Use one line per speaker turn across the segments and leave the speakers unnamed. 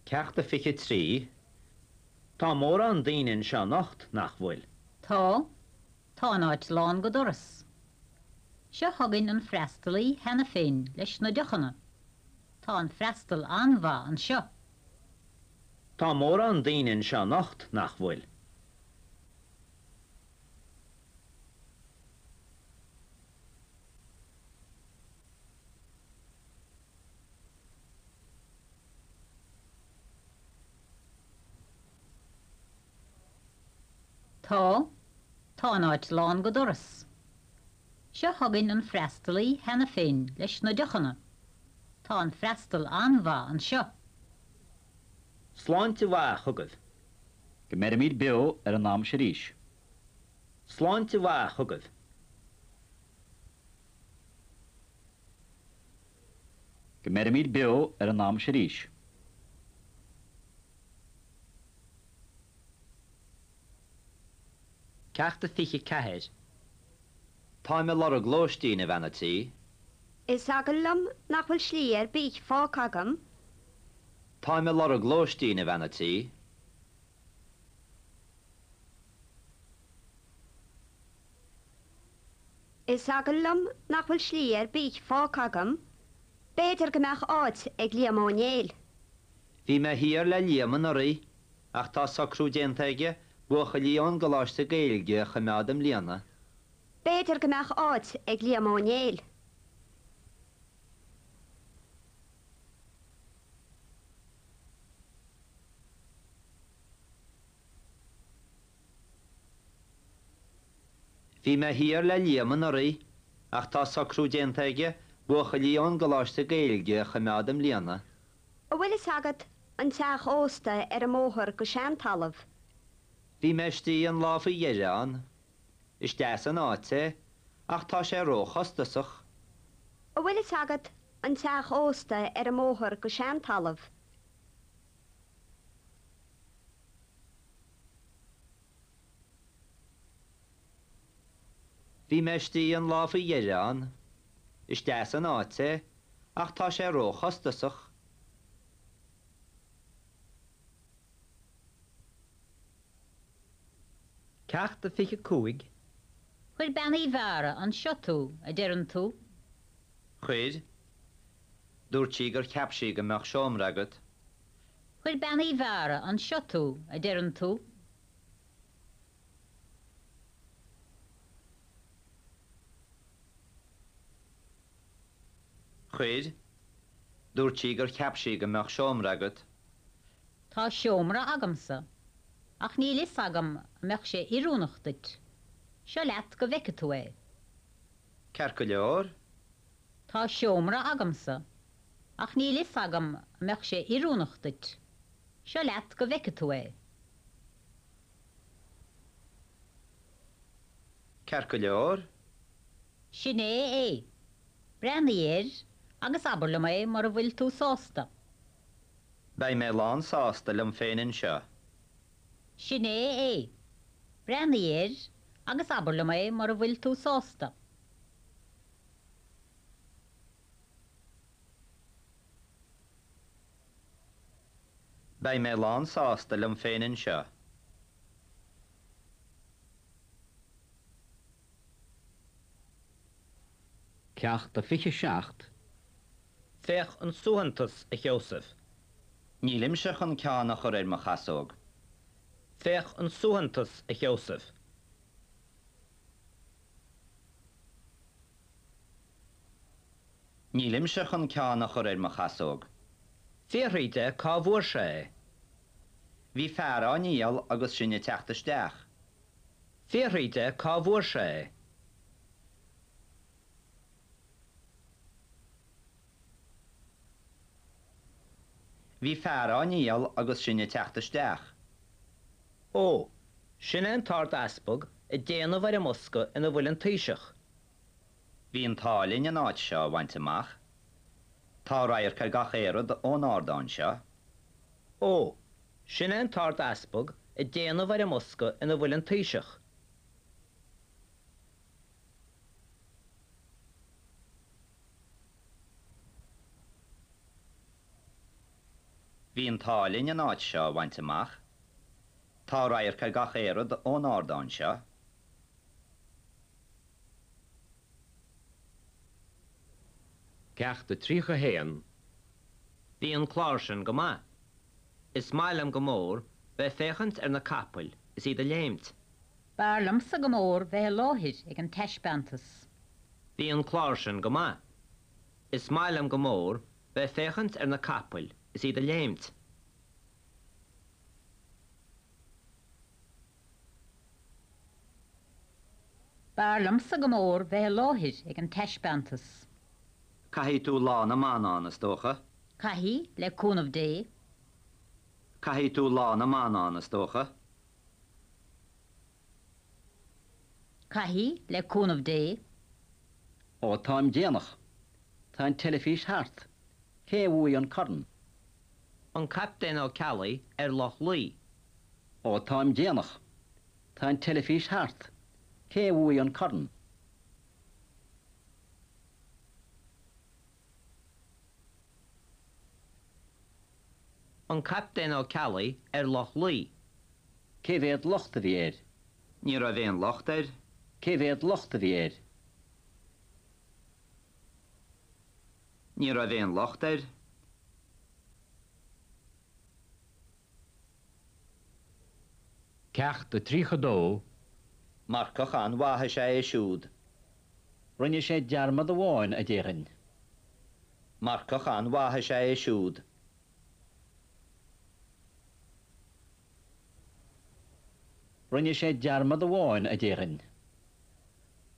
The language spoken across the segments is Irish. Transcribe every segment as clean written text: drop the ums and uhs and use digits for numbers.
Ceacht a 23. Tá mórán daoine anseo anocht, nach bhfuil?
Tá. Tá an áit lán go doras. Seo chugainn an freastalaí cheana féin leis na deochanna. Tá an freastal an-mhaith anseo.
Tá mórán daoine anseo anocht, nach bhfuil?
Tá. Tá an áit lán go doras. Seo chugainn an freastalaí cheana féin leis na deochanna. Tá an freastal an-mhaith anseo.
Sláinte mhaith chugaibh.
Go mbeirimid beo ar an am seo arís.
Sláinte mhaith chugaibh.
Go mbeirimid beo ar an am seo arís.
Ceacht a 24. Táim ag lorg lóistín, a bhean a' tí.
Is eagal liom nach bhfuil slí ar bith fágtha agam.
Táim ag lorg lóistín, a bhean a' tí.
Is eagal liom nach bhfuil slí ar bith fágtha agam. B'fhéidir go mbeadh áit ag Liam Ó Néill.
Bhí mé thiar le Liam anuraidh ach tá socrú déanta aige buachaillí ón gColáiste Gaeilge a choimeád i mbliana.
B'fhéidir go mbeadh áit ag Liam Ó Néill.
Bhí mé thiar le Liam anuraidh ach tá socrú déanta aige buachaillí ón gColáiste Gaeilge a choimeád i mbliana.
An bhfuil fhios agat an teach ósta ar an mbóthar go Seantalamh?
Bhí mé istigh an lá faoi dheireadh ann. Is deas an áit é ach tá sé ró-chostasach.
An bhfuil fhios agat an teach ósta ar an mbóthar go Seantalamh?
Bhí mé istigh an lá faoi dheireadh ann. Is deas an áit é, ach tá sé ró-chostasach.
Ceacht a 25.
Chuir Bean Uí Mheára anseo tú, a deireann tú?
Chuir. Dúirt sí gur cheap sí go mbeadh seomra agat.
Chuir Bean Uí Mheára anseo tú, a deireann tú?
Chuir. Dúirt sí gur cheap sí go mbeadh seomra agat.
Tá seomra agamsa, ach níl fhios agam an mbeadh sé oiriúnach duit. Seo leat go bhfeice tú é.
Ceart go leor.
Tá seomra agamsa, ach níl fhios agam an mbeadh sé oiriúnach duit. Seo leat go bhfeice tú é.
Ceart go leor.
Sin é é. Breathnaigh air agus abair liom é mura bhfuil tú sásta.
Beidh mé lán sásta liom féin anseo.
Sin é é. Breathnaigh air agus abair liom é mura bhfuil tú sásta.
Beidh mé lán sásta liom féin anseo.
Ceacht a 27.
Féach an suaitheantas, a Sheosaimh.
Nílimse chun ceann a chur ar mo chasóg.
Féach an suaitheantas, a Sheosaimh.
Nílimse chun ceann a chur ar mo chasóg.
Fiafraigh de cá bhfuair sé é.
Bhí fear á ndíol agus sinn ag teacht isteach.
Fiafraigh de cá bhfuair sé é.
Bhí fear á ndíol agus sinn ag teacht isteach.
Ó, sin é an tArd-Easpag ag déanamh ar an mbosca ina bhfuil an Taoiseach.
Bhí an t-ádh linn an áit seo a bhaint amach. Tá radharc ar gach aon rud ón ardán seo.
Ó, sin é an tArd-Easpag ag déanamh ar an mbosca ina bhfuil an Taoiseach.
Bhí an t-ádh linn an áit seo a bhaint amach. Tá radharc ar gach aon rud ón ardán seo.
Ceacht a 31.
Bhí an clár sin go maith. Is maith liom go mór bheith ag féachaint ar na capaill is iad ag léimt.
B'fhearr liomsa go mór bheith i láthair ag an taispeántas.
Bhí an clár sin go maith. Is maith liom go mór bheith ag féachaint ar na capaill is iad ag léimt.
B'fhearr liomsa go mór bheith i láthair ag an taispeántas.
Caithfidh tú Lá na mBan ann, is dócha.
Caithfidh, le cúnamh Dé.
Caithfidh tú Lá na mBan ann, is dócha.
Caithfidh, le cúnamh Dé.
Ó, táim déanach. Tá an teilifís thart. Cé a bhuaigh an corn?
An Captaen Ó Ceallaigh ar Loch Lao.
Ó, táim déanach. Tá an teilifís thart. Cé a bhuaigh an corn?
An Captaen Ó Ceallaigh ar Loch Lao.
Cé mhéad locht a bhí air?
Ní raibh aon locht air.
Cé mhéad locht a bhí air?
Ní raibh aon locht air.
Ceacht a 32.
Marcach an-mhaith is ea é siúd.
Rinne sé dearmad amháin, a déarfainn.
Marcach an-mhaith is ea é siúd.
Rinne sé dearmad amháin, a déarfainn.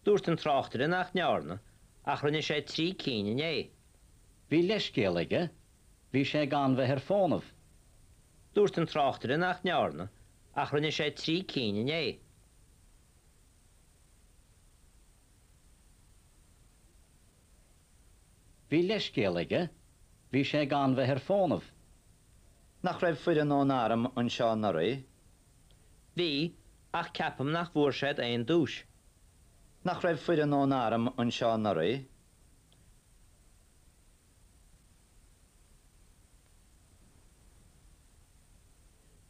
Dúirt an tráchtaire nach ndearna, ach rinne sé 3 cinn inné.
Bhí leithscéal aige, bhí sé gan bheith ar fónamh.
Dúirt an tráchtaire nach ndearna, ach rinne sé 3 cinn inné.
Bhí leithscéal aige, bhí sé gan bheith ar fónamh.
Nach raibh foireann ón arm anseo anuraidh?
Bhí, ach ceapaim nach bhfuair siad aon duais.
Nach raibh foireann ón arm anseo anuraidh?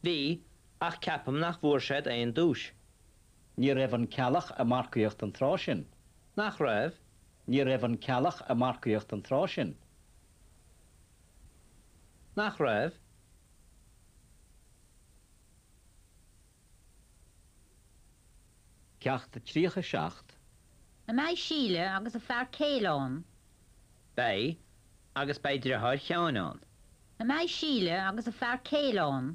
Bhí, ach ceapaim nach bhfuair siad aon duais.
Ní raibh an Ceallach ag marcaíocht an tráth sin.
Nach raibh?
Ní raibh an Ceallach ag marcaíocht an tráth sin.
Nach raibh?
Ceacht 37.
An mbeidh Síle agus a fear céile ann?
Beidh, agus beidh driotháir Sheáin ann.
An mbeidh Síle agus a fear céile ann?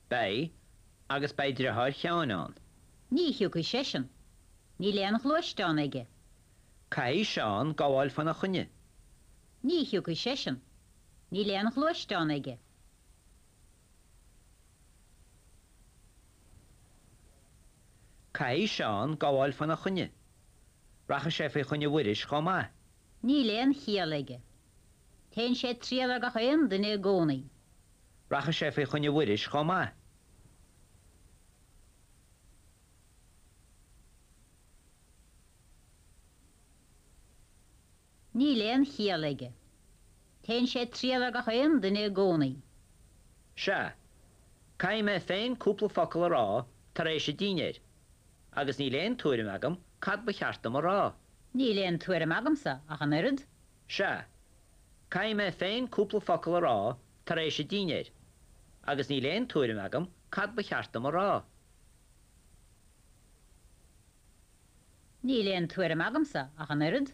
Beidh, agus beidh driotháir Sheáin ann.
Ní thiocfaidh seisean. Níl aon ghluaisteán aige.
Caithfidh Seán gabháil faoina choinne.
Ní thiocfaidh seisean. Níl aon ghluaisteán aige.
Caithfidh Seán gabháil faoina choinne. Rachaidh sé faoi choinne Mhuiris chomh maith.
Níl aon chiall aige. Téann sé ag triall ar gach aon duine i gcónaí.
Rachaidh sé faoi choinne Mhuiris chomh maith.
Níl aon chiall aige. Téann sé ag triall ar gach aon duine i gcónaí.
Sea. Caithfidh mé féin cúpla focal a rá tar éis an dinnéir, agus níl aon tuairim agam cad ba cheart dom a rá.
Níl aon tuairim agamsa ach an oiread.
Sea. Caithfidh mé féin cúpla focal a rá tar éis an dinnéir, agus níl aon tuairim agam cad ba cheart dom a rá.
Níl aon tuairim agamsa ach an oiread.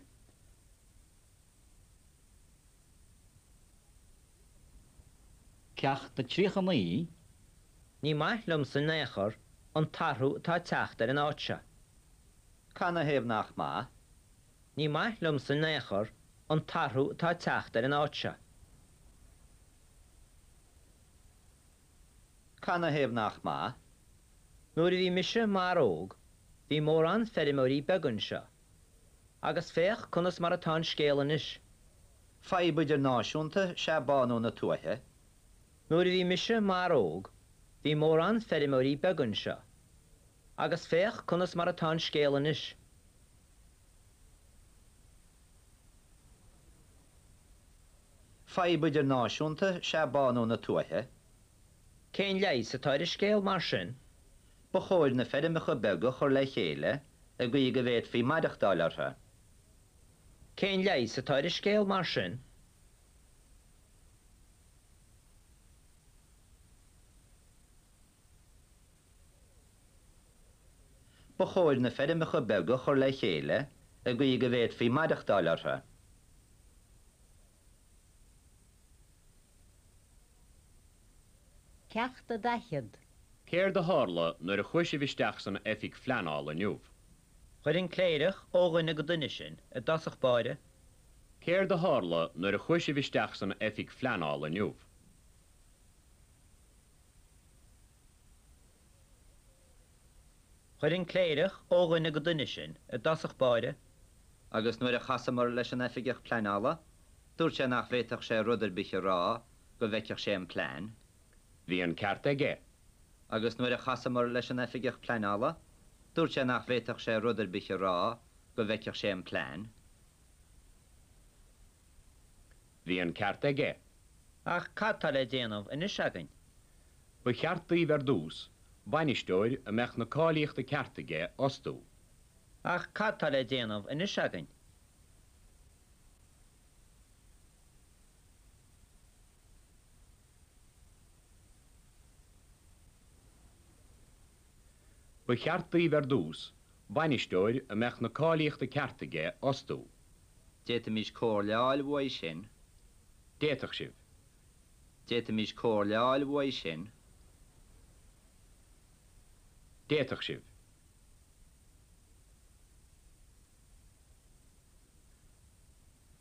Ceacht 39.
Ní maith liomsa in aon chor an t-athrú atá ag teacht ar an áit seo.
Canathaobh nach maith?
Ní maith liomsa in aon chor an t-athrú atá ag teacht ar an áit seo.
Canathaobh nach maith?
Nuair a bhí mise mar óg bhí mórán feirmeoirí beaga anseo. Agus féach conas mar atá an scéal anois.
Fadhb idirnáisiúnta is ea bánú na tuaithe.
Nuair a bhí mise mar óg bhí mórán feirmeoirí beaga anseo. Agus féach conas mar atá an scéal anois.
Fadhb idirnáisiúnta is ea bánú na tuaithe. Cén leigheas atá ar an scéal mar sin? Ba chóir na feirmeacha beaga a chur le chéile i gcaoi go bhféadfaí maireachtáil orthu. Cén leigheas atá ar an scéal mar sin? Ba chóir na feirmeacha beaga a chur le chéile i gcaoi go bhféadfaí maireachtáil orthu.
Ceacht a 40.
Céard a tharla nuair a chuaigh sibh isteach san oifig phleanála inniu?
Chuir an cléireach ó dhuine go duine sinn i dtosach báire.
Céard a tharla nuair a chuaigh sibh isteach san oifig phleanála inniu?
Chuir an cléireach ó dhuine go duine sinn i dtosach báire.
Agus nuair a chasamar leis an oifigeach pleanála, dúirt sé nach bhféadfadh sé rud ar bith a rá go bhfeicfeadh sé an plean.
Bhí an ceart aige.
Agus nuair a chasamar leis an oifigeach pleanála, dúirt sé nach bhféadfadh sé rud ar bith a rá go bhfeicfeadh sé an plean.
Bhí an ceart aige.
Ach cad tá le déanamh anois againn?
Ba cheart daoibh ar dtús bainisteoir a mbeadh na cáilíochta ceart aige a fhostú.
Ach cad tá le déanamh anois againn?
Ba cheart daoibh ar dtús bainisteoir a mbeadh na cáilíochta ceart aige a fhostú.
D'fhéadfaimis comhairle a fháil uaidh sin.
D'fhéadfadh sibh.
D'fhéadfaimis comhairle a fháil uaidh sin.
D'fhéadfadh sibh.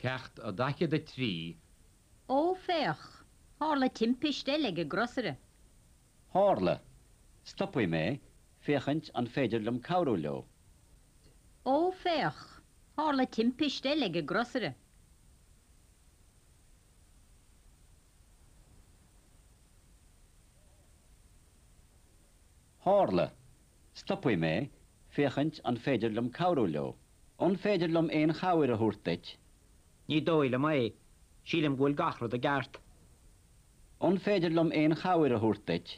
Ceacht a 43.
Ó, féach! Tharla timpiste eile ag an gcrosaire.
Tharla. Stopfaidh mé, féachaint an féidir liom cabhrú leo.
Ó, féach! Tharla timpiste eile ag an gcrosaire.
Tharla. Stopfaidh mé, féachaint an féidir liom cabhrú leo. An féidir liom aon chabhair a thabhairt duit?
Ní dóigh liom é. Sílim go bhfuil gach rud i gceart.
An féidir liom aon chabhair a thabhairt duit?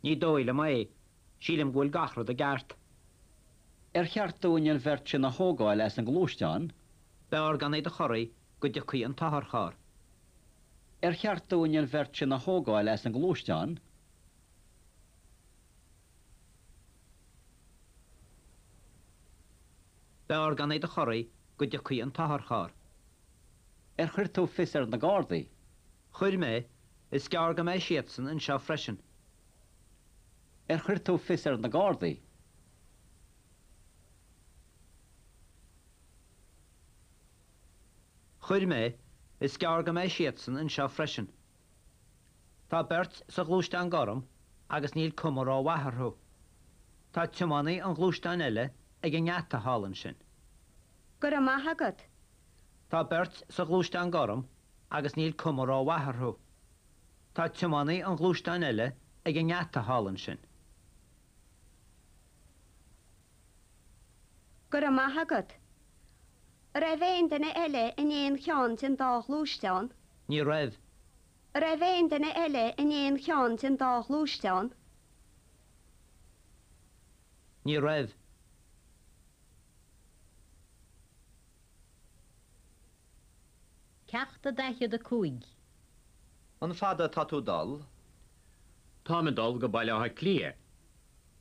Ní dóigh liom é. Sílim go bhfuil gach rud i gceart.
Ar cheart dúinn an bheirt sin a thógáil as an ngluaisteán?
B'fhearr gan iad a chorraí go dtiocfaidh an t-otharcharr.
Ar cheart dúinn an bheirt sin a thógáil as an ngluaisteán?
B'fhearr gan iad a chorraí go dtiocfaidh an t-otharcharr.
Ar chuir tú fios ar na Gardaí?
Chuir mé. Is gearr go mbeidh siadsan anseo freisin.
Ar chuir tú fios ar na Gardaí?
Chuir mé. Is gearr go mbeidh siadsan anseo freisin.
Tá beirt sa ghluaisteán gorm agus níl cuma rómhaith orthu. Tá tiománaí an ghluaisteáin eile ag an ngeata thall ansin.
Go raibh maith agat.
Tá beirt sa ghluaisteán gorm agus níl cuma rómhaith orthu. Tá tiománaí an ghluaisteáin eile ag an ngeata thall ansin.
Go raibh maith agat. An raibh aon duine eile in aon cheann den dá ghluaisteán?
Ní raibh.
An raibh aon duine eile in aon cheann den dá ghluaisteán?
Ní raibh.
Ceacht a 45.
An fada atá tú dul?
Táim ag dul go Baile Átha Cliath.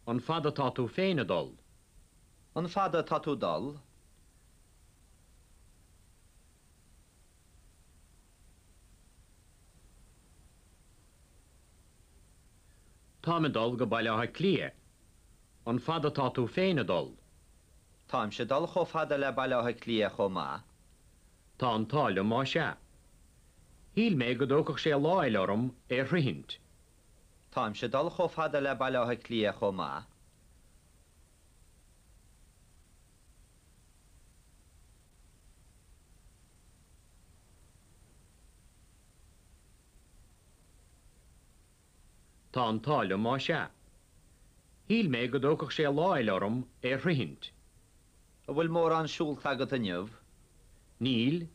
An fada atá tú féin ag dul?
An fada atá tú dul?
Táim ag dul go Baile Átha Cliath. An fada atá tú féin ag dul?
Táimse ag dul chomh fada le Baile Átha Cliath chomh maith.
Tá an t-ádh liom más ea. Shíl mé go dtógfadh sé lá eile orm é a shroichint.
Táimse ag dul chomh fada le Baile Átha Cliath chomh maith.
Tá an t-ádh liom más ea. Shíl mé go dtógfadh sé lá eile orm é a shroichint.
An bhfuil mórán siúlta agat inniu?
Níl.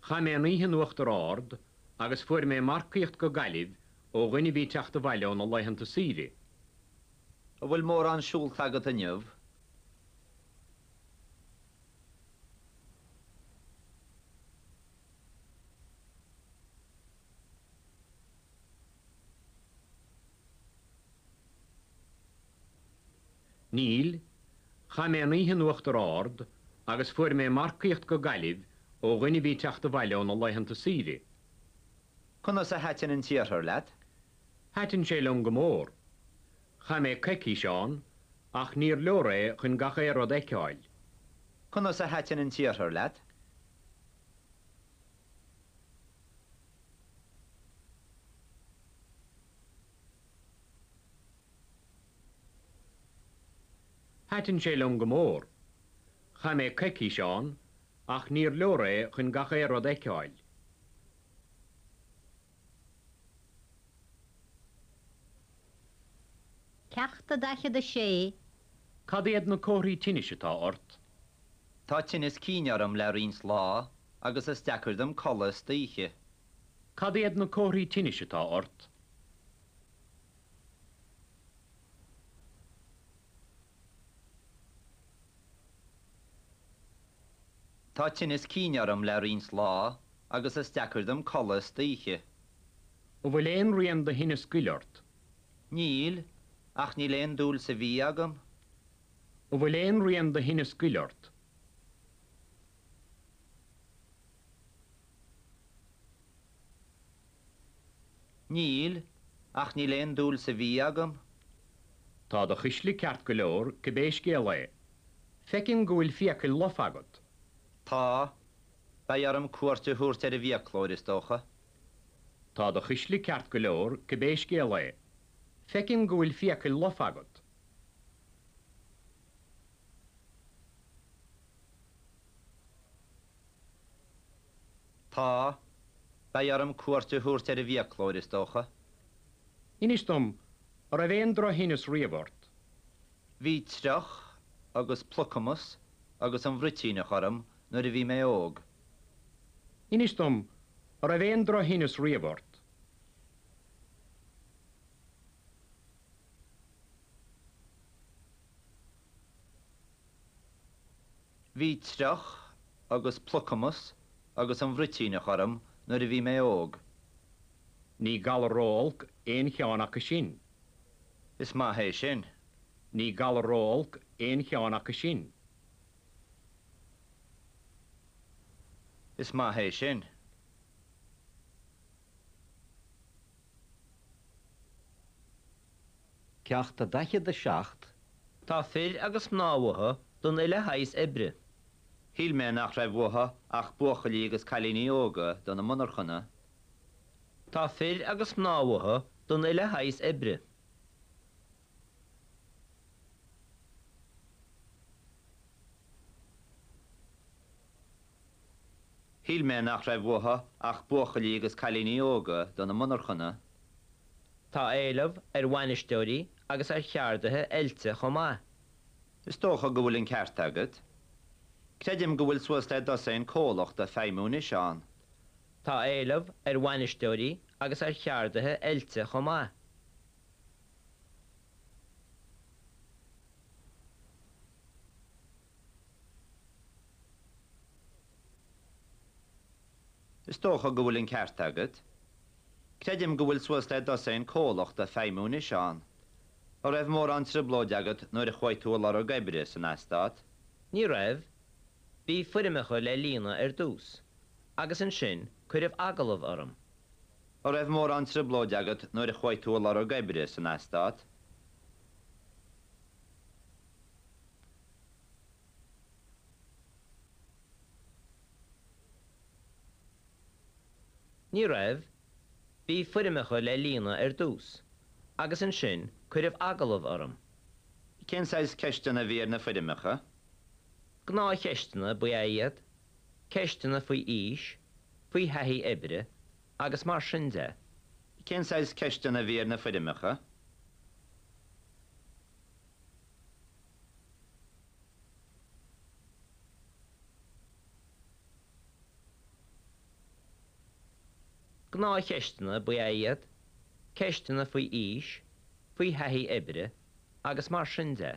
Chaith mé an oíche in Uachtar Ard agus fuair mé marcaíocht go Gaillimh ó dhuine a bhí ag teacht abhaile óna laethanta saoire.
An bhfuil mórán siúlta agat inniu?
Níl. Chaith mé an oíche in Uachtar Ard agus fuair mé marcaíocht go Gaillimh ó dhuine a bhí ag teacht abhaile óna laethanta saoire.
Conas a thaitin an t-iarthar leat?
Thaitin sé liom go mór. Chaith mé coicís ann ach níor leor é chun gach aon rud a fheiceáil.
Conas a thaitin an t-iarthar leat?
Thaitin sé liom go mór. Chaith mé coicís ann ach níor leor é chun gach aon rud a fheiceáil.
Ceacht a 46.
Cad iad na comharthaí tinnis atá ort?
Tá tinneas cinn orm le roinnt lá agus is deacair dom codladh istoíche.
Cad iad na comharthaí tinnis atá ort?
Tá tinneas cinn orm le roinnt lá agus is deacair dom codladh istoíche.
An bhfuil aon rian de thinneas goil ort?
Níl, ach níl aon dúil sa bhia agam.
An bhfuil aon rian de thinneas goil ort?
Níl, ach níl aon dúil sa bhia agam.
Tá do chuisle ceart go leor, cibé scéal é. Feicim go bhfuil fiacail lofa agat.
Tá. Beidh orm cuairt a thabhairt ar an bhfiaclóir, is dócha.
Tá do chuisle ceart go leor, cibé scéal é. Feicim go bhfuil fiacail lofa agat.
Tá. Beidh orm cuairt a thabhairt ar an bhfiaclóir, is dócha.
Inis dom, an raibh aon drochthinneas riamh ort?
Bhí triuch agus plucamas agus an bhruitíneach orm nuair a bhí mé óg.
Inis dom, an raibh aon drochthinneas riamh ort?
Bhí triuch agus plucamas agus an bhruitíneach orm nuair a bhí mé óg.
Ní galar ró-olc aon cheann acu sin.
Is maith é sin.
Ní galar ró-olc aon cheann acu sin.
Is maith é sin.
Ceacht 47.
Tá fir agus mná uathu don uile shaghas oibre.
Shíl mé nach raibh uathu ach buachaillí agus cailíní óga do na monarchana.
Tá fir agus mná uathu don uile shaghas oibre.
Shíl mé nach raibh uathu ach buachaillí agus cailíní óga do na monarchana.
Tá éileamh ar bhainisteoirí agus ar cheardaithe oilte chomh maith.
Is dócha go bhfuil an ceart agat. Creidim go bhfuil suas le dosaen comhlacht ag feidhmiú anois ann.
Tá éileamh ar bhainisteoirí agus ar cheardaithe oilte chomh maith.
Is dócha go bhfuil an ceart agat. Creidim go bhfuil suas le dosaen comhlacht ag feidhmiú anois ann. An raibh mórán trioblóide agat nuair a chuaigh tú ag lorg oibre san eastát?
Ní raibh. Bhí foirmeacha le líonadh ar dtús, agus ansin cuireadh agallamh orm.
An raibh mórán trioblóide agat nuair a chuaigh tú ag lorg oibre san eastát?
Ní raibh. Bhí foirmeacha le líonadh ar dtús, agus ansin cuireadh agallamh orm.
Cén saghas ceisteanna a bhí ar na foirmeacha?
Gnáthcheisteanna ba ea iad, ceisteanna faoi aois, faoi thaithí oibre, agus mar sin de.
Cén saghas ceisteanna a bhí ar na foirmeacha?
Gnáthcheisteanna ba ea iad, ceisteanna faoi aois, faoi thaithí oibre agus mar sin de.